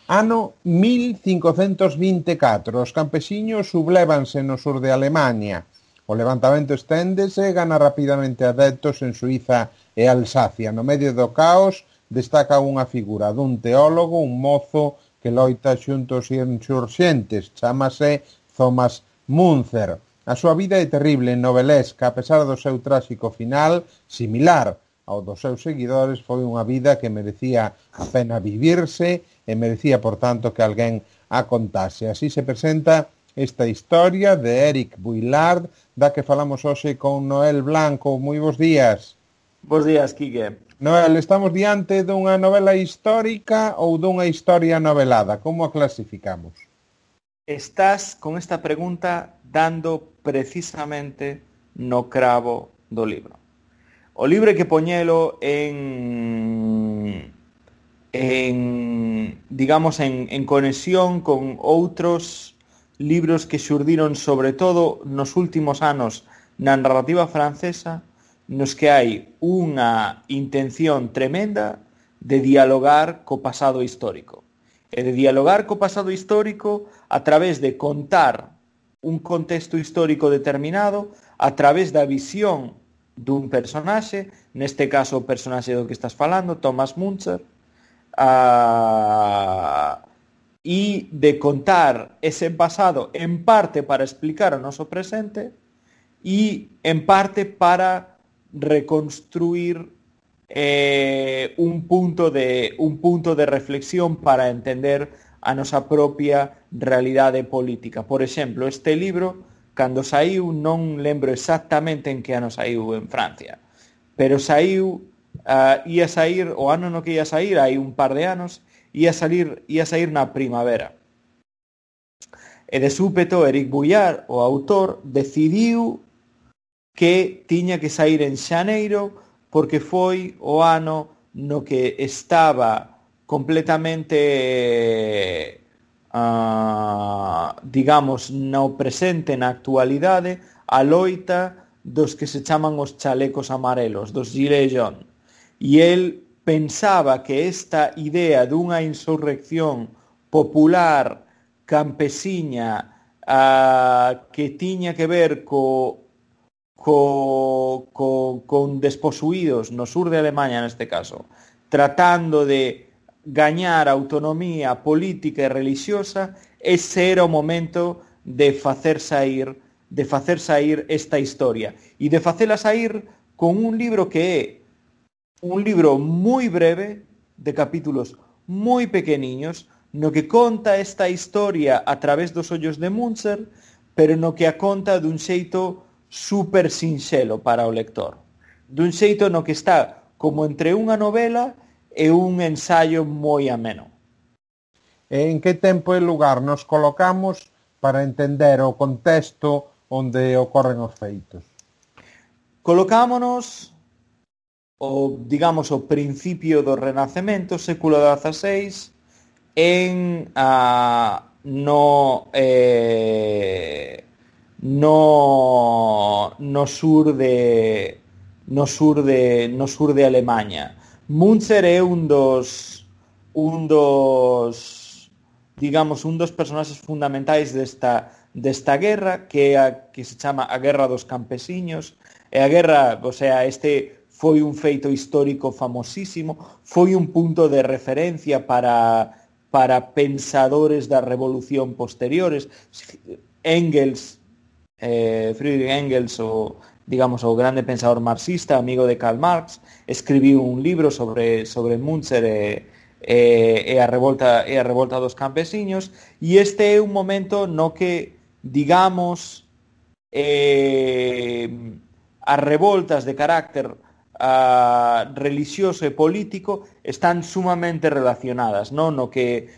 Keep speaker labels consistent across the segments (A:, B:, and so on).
A: Ano 1524, os campesiños sublévanse no sur de Alemaña. O levantamento esténdese e gana rapidamente adeptos en Suiza e Alsacia. No medio do caos destaca unha figura dun teólogo, un mozo que loita xunto aos insurxentes. Chámase Thomas Müntzer. A súa vida é terrible e novelesca, a pesar do seu tráxico final, similar ao dos seus seguidores, foi unha vida que merecía a pena vivirse e merecía, por tanto, que alguén a contase. Así se presenta esta historia de Eric Vuillard, da que falamos hoxe con Noel Blanco. Moi bons días.
B: Bos días, Quique.
A: Noel, estamos diante dunha novela histórica ou dunha historia novelada? Como a clasificamos?
B: Estás con esta pregunta dando precisamente no cravo do libro. O libro hai que poñelo digamos, en conexión con outros libros que xurdiron sobre todo nos últimos anos na narrativa francesa, nos que hai unha intención tremenda de dialogar co pasado histórico. E de dialogar co pasado histórico a través de contar un contexto histórico determinado, a través da visión dun personaxe, neste caso o personaxe do que estás falando, Thomas Müntzer, e de contar ese pasado en parte para explicar o noso presente e en parte para reconstruir un punto de reflexión para entender a nosa propia realidade política. Por exemplo, este libro, cando saiu, non lembro exactamente en que ano saiu en Francia, pero saiu, ia sair, o ano no que ia sair, hai un par de anos, ia sair na primavera. E de súpeto, Eric Vuillard, o autor, decidiu que tiña que sair en xaneiro porque foi o ano no que estaba completamente, digamos, no presente, na actualidade, a loita dos que se chaman os chalecos amarelos, dos Gilets jaunes. E el pensaba que esta idea dunha insurrección popular campesiña que tiña que ver con desposuídos no sur de Alemania, neste caso, tratando de gañar autonomía política e religiosa, ese era o momento de facer sair esta historia e de facela sair con un libro que é un libro moi breve, de capítulos moi pequeniños, no que conta esta historia a través dos ollos de Müntzer, pero no que a conta dun xeito super sinxelo para o lector. Dun xeito no que está como entre unha novela e un ensaio moi ameno.
A: En que tempo e lugar nos colocamos para entender o contexto onde ocorren os feitos?
B: Colocámonos digamos, o principio do Renacemento, século XVI, no sur de Alemaña. Müntzer é un dos personaxes fundamentais desta guerra, que é a que se chama a Guerra dos Campesiños. E a guerra, o sea, este foi un feito histórico famosísimo, foi un punto de referencia para pensadores da revolución posteriores. Friedrich Engels, o grande pensador marxista, amigo de Karl Marx, escribiu un libro sobre Müntzer e a revolta dos campesiños, e este é un momento no que, digamos, as revoltas de carácter religioso e político están sumamente relacionadas, non? No que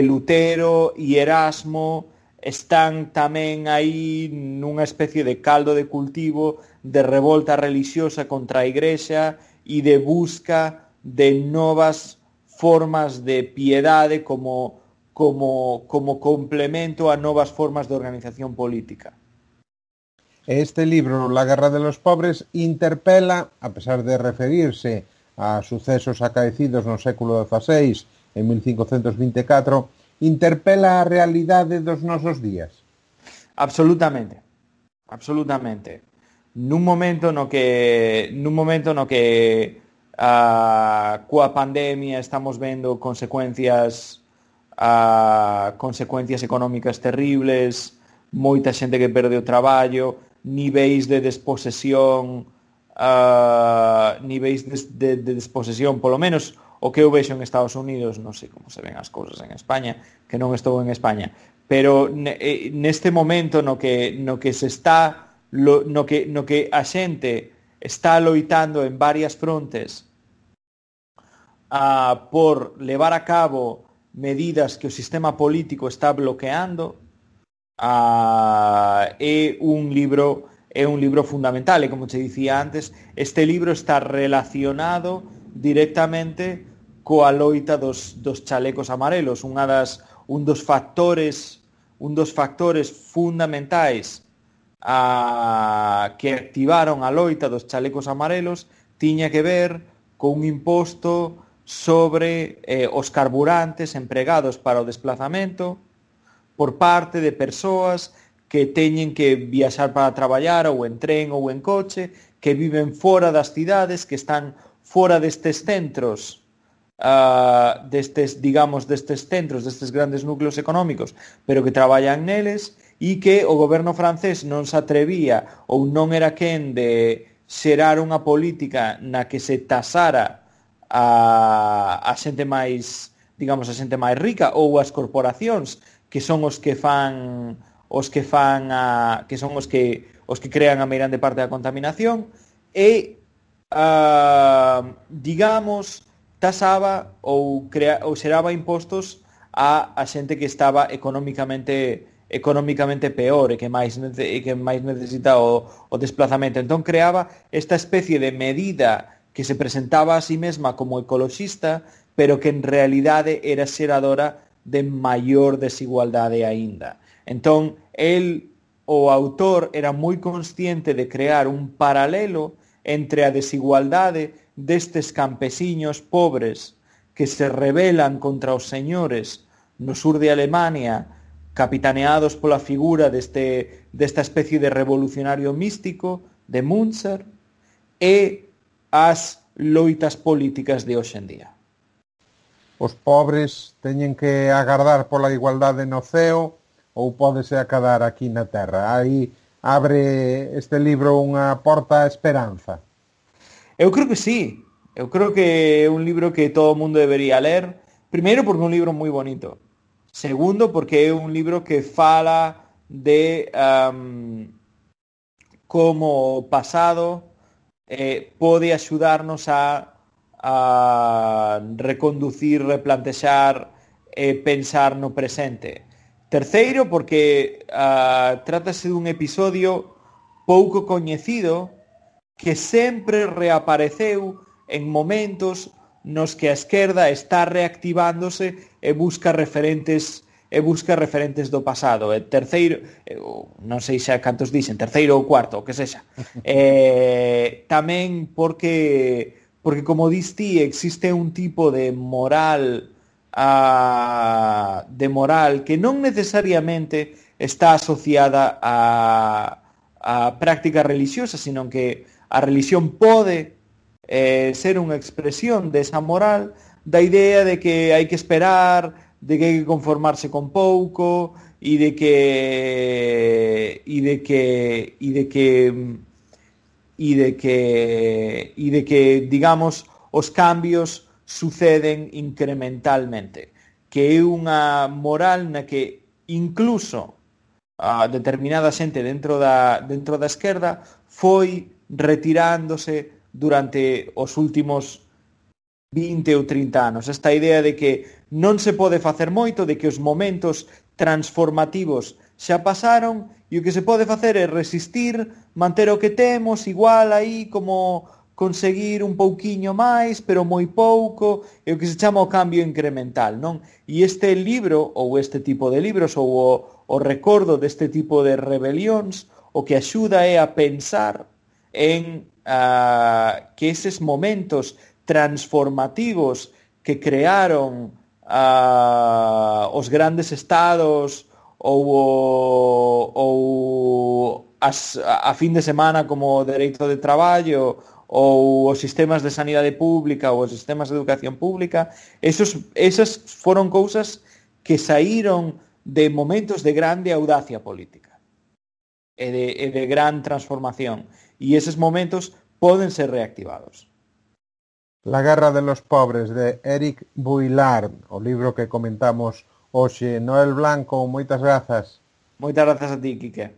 B: Lutero e Erasmo están tamén aí nunha especie de caldo de cultivo de revolta religiosa contra a Igrexa e de busca de novas formas de piedade como complemento a novas formas de organización política.
A: Este libro, La guerra de los pobres, interpela, a pesar de referirse a sucesos acaecidos no século XVI, en 1524, interpela a realidade dos nosos días?
B: Absolutamente. Nun momento no que coa pandemia estamos vendo consecuencias económicas terribles, moita xente que perde o traballo, niveis de desposesión, polo menos o que eu vexo en Estados Unidos, non sei como se ven as cousas en España, que non estou en España, pero neste momento no que se está no que a xente está loitando en varias frontes por levar a cabo medidas que o sistema político está bloqueando, é un libro fundamental, e como te dicía antes, este libro está relacionado directamente coa loita dos chalecos amarelos. Un dos factores fundamentais que activaron a loita dos chalecos amarelos tiña que ver con un imposto sobre os carburantes empregados para o desplazamento por parte de persoas que teñen que viaxar para traballar ou en tren ou en coche, que viven fora das cidades, que están fora destes centros, destes centros, destes grandes núcleos económicos, pero que traballan neles, e que o goberno francés non se atrevía ou non era quen de xerar unha política na que se tasara a xente máis, digamos, a xente máis rica ou as corporacións que son os que fan que son os que crean a meirande parte da contaminación, e digamos, tasaba ou xeraba impostos a xente que estaba económicamente peor e que máis necesita o desplazamento. Entón creaba esta especie de medida que se presentaba a sí mesma como ecoloxista, pero que en realidade era xeradora de maior desigualdade aínda. Entón, o autor, era moi consciente de crear un paralelo entre a desigualdade destes campesiños pobres que se rebelan contra os señores no sur de Alemania, capitaneados pola figura desta especie de revolucionario místico de Münzer, e as loitas políticas de hoxe en día.
A: Os pobres teñen que agardar pola igualdade no ceo ou pódese acadar aquí na terra? Aí abre este libro unha porta á esperanza.
B: Eu creo que sí. Eu creo que é un libro que todo o mundo debería ler. Primeiro, porque é un libro moi bonito. Segundo, porque é un libro que fala de como o pasado pode axudarnos a reconducir, replantexar e pensar no presente. Terceiro, porque trátase dun episodio pouco coñecido que sempre reapareceu en momentos nos que a esquerda está reactivándose e busca referentes do pasado. E terceiro, non sei xa cantos dixen, terceiro ou cuarto, o que sexa. Tamén porque como dis ti, existe un tipo de moral que non necesariamente está asociada a prácticas religiosas, sino que a religión pode ser unha expresión desa moral, da idea de que hai que esperar, de que hai que conformarse con pouco, e de que digamos os cambios suceden incrementalmente, que é unha moral na que incluso a determinada xente dentro da esquerda foi retirándose durante os últimos 20 ou 30 anos. Esta idea de que non se pode facer moito, de que os momentos transformativos xa pasaron e o que se pode facer é resistir, manter o que temos, igual aí como conseguir un pouquiño máis, pero moi pouco, é o que se chama o cambio incremental, non? E este libro, ou este tipo de libros, ou o recordo deste tipo de rebelións, o que axuda é a pensar en que eses momentos transformativos que crearon os grandes estados ou a fin de semana como o dereito de traballo ou os sistemas de sanidade pública ou os sistemas de educación pública, esas foron cousas que saíron de momentos de grande audacia política e de gran transformación, e eses momentos poden ser reactivados.
A: La guerra de los pobres, de Eric Buillard, o libro que comentamos hoxe. Noel Blanco, moitas grazas.
B: Moitas grazas a ti, Quique.